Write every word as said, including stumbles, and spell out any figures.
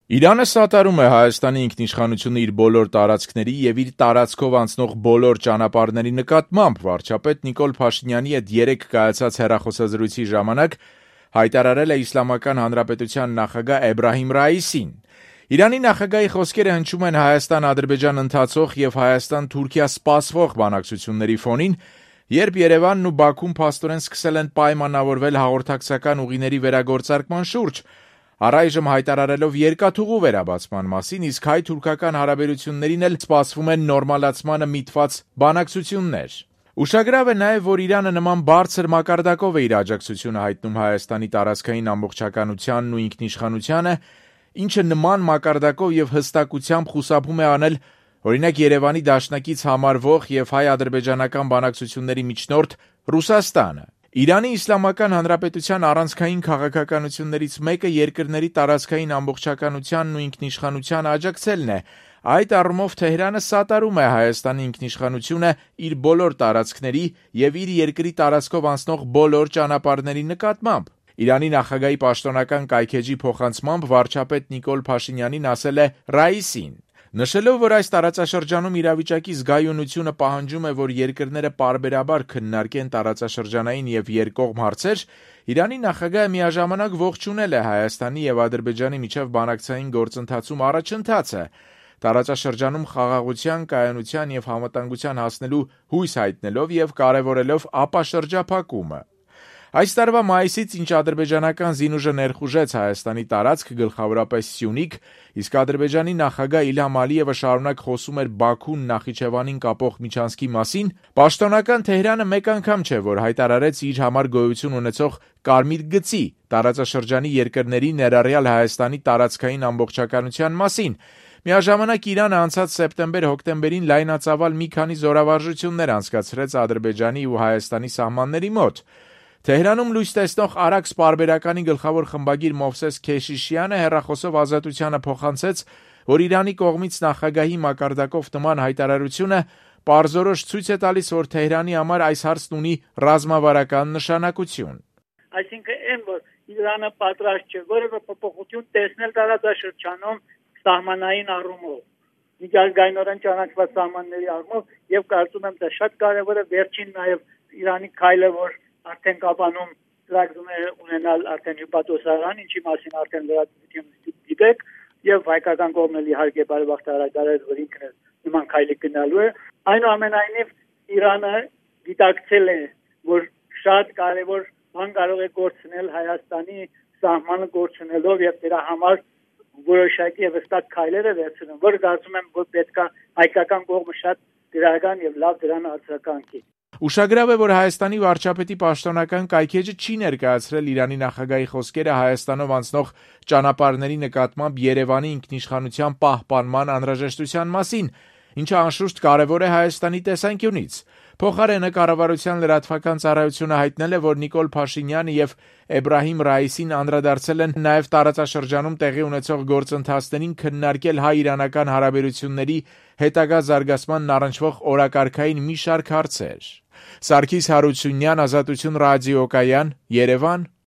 Իրանը սատարում է Հայաստանի ինքնիշխանությունը իր բոլոր տարածքների և իր տարածքով անցնող բոլոր ճանապարհների նկատմամբ, վարչապետ Նիկոլ Փաշինյանի հետ երեկ կայացած հեռախոսազրույցի ժամանակ հայտարարել է Իսլամական Հանրապետության նախագահ Էբրահիմ Ռայիսին։ Իրանի նախագահի խոսքերը հնչում են Հայաստան-Ադրբեջան ընթացող և Հայաստան-Թուրքիա սպասվող բանակցությունների ֆոնին, երբ Երևանն ու Բաքուն փաստորեն սկսել են պայմանավորվել հաղորդակցական ուղիների վերագործարկման շուրջ, առայժմ հայտարարելով երկաթուղու վերաբացման մասին, իսկ հայ-թուրքական հարաբերություններին էլ սպասվում են նորմալացմանը միտված բանակցություններ։ Ուշագրավ է նաև, որ Իրանը նման բարձր մակարդակով է իր աջակցությունը հայտնում Հայաստանի տարածքային ամբողջականությանն ու ինքնիշխանությանը, ինչը նման մակարդակով և հստակությամբ խուսափում է անել, օրինակ, Երևանի դաշնակից համարվող և հայ-ադրբեջանական բանակցությունների միջնորդ Ռուսաստանը։ Իրանի Իսլամական Հանրապետության առանցքային քաղաքականություններից մեկը երկրների տարածքային ամբողջականությանն ու ինքնիշխանությանը աջակցելն է։ Այդ առումով Թեհրանը սատարում է Հայաստանի ինքնիշխանությունը իր բոլոր տարածքների և իր երկրի տարածքով անցնող բոլոր ճանապարհների նկատմամբ։ Իրանի նախագահի պաշտոնական կայքէջի փոխանցմամբ վարչապետ Նիկոլ Փաշինյանին ասել է Ռայիսին, նշելով, որ այս տարածաշրջանում իրավիճակի զգայունությունը պահանջում է, որ երկրները պարբերաբար քննարկեն տարածաշրջանային և երկկողմ հարցեր, Իրանի նախագահը միաժամանակ ողջունել է Հայաստանի և Ադրբեջանի միջև բանակցային գործընթացում առաջընթացը, տարածաշրջանում խաղաղության, կայունության և համատանգության հասնելու հույս հայտնելով և կարևորելով ապաշրջափակումը։ Այս տարվա մայիսից, ինչ ադրբեջանական զինուժը ներխուժեց Հայաստանի տարածք, գլխավորապես Սյունիք, իսկ Ադրբեջանի նախագահ Իլհամ Ալիևը շարունակ խոսում էր Բաքուն Նախիջևանին կապող միջանցքի մասին, պաշտոնական Թեհրանը մեկ անգամ չէ, որ հայտարարեց իր համար գոյություն ունեցող կարմիր գծի տարածաշրջանի երկրների, ներառյալ Հայաստանի տարածքային ամբողջականության մասին։ Միաժամանակ Իրանը անցած սեպտեմբեր-հոկտեմբերին լայնածավալ մի քանի զորավարժություններ անցկացրեց Ադրբեջանի ու Հայաստանի սահմանների մոտ։ Թեհրանում լույս տեսնող Արաքս պարբերականի գլխավոր խմբագիր Մովսես Քեշիշյանը հեռախոսով Ազատությանը փոխանցեց, որ Իրանի կողմից նախագահի մակարդակով նման հայտարարությունը պարզորոշ ցույց է տալիս, որ Թեհրանի համար այս հարցն ունի ռազմավարական նշանակություն։ Այսինքն, այն, որ Իրանը պատրաստ չէ որևէ փոփոխություն տեսնել տարածաշրջանում սահմանային առումով, միջազգայինորեն ճանաչված սահմանների առումով, եւ կարծում եմ, դա շատ կարեւոր է վերջին նաեւ Իրանի քայլը, որ արդեն Կապանում ծրագրում է ունենալ արդեն հյուպատոսարան, ինչի մասին արդեն լրատվություն գիտեք, եւ հայկական կողմն էլ իհարկե բարեբախտաբար հայտարարել, որ ինքն է նման քայլի գնալու է։ Այնուամենայնիվ Իրանը գիտակցել է, որ շատ կարեւոր բան կարող է գործնել Հայաստանի սահմանը գործունելով եւ դրա համար որոշակի եւ հստակ քայլեր է վերցնում, որ կարծում եմ, որ պետքա հայկական կողմը շատ դրական եւ լավ դրան արձագանքի։ Ուշագրավ է, որ Հայաստանի վարչապետի պաշտոնական կայքէջը չի ներկայացրել Իրանի նախագահի խոսքերը Հայաստանով անցնող ճանապարհների նկատմամբ Երևանի ինքնիշխանության պահպանման անհրաժեշտության մասին, ինչը անշուշտ կարևոր է Հայաստանի տեսանկյունից։ Փոխարենը կառավարության լրատվական ծառայությունը հայտնել է, որ Նիկոլ Փաշինյանը եւ Էբրահիմ Ռայիսին անդրադարձել են նաեւ տարածաշրջանում տեղի ունեցող գործընթացներին քննարկել հայ-իրանական հարաբերությունների հետագա զարգացմանն առնչվող օրակարգային մի շարք հարցեր։ Սարգիս Հարությունյան, Ազատություն ռադիոկայան, Երևան։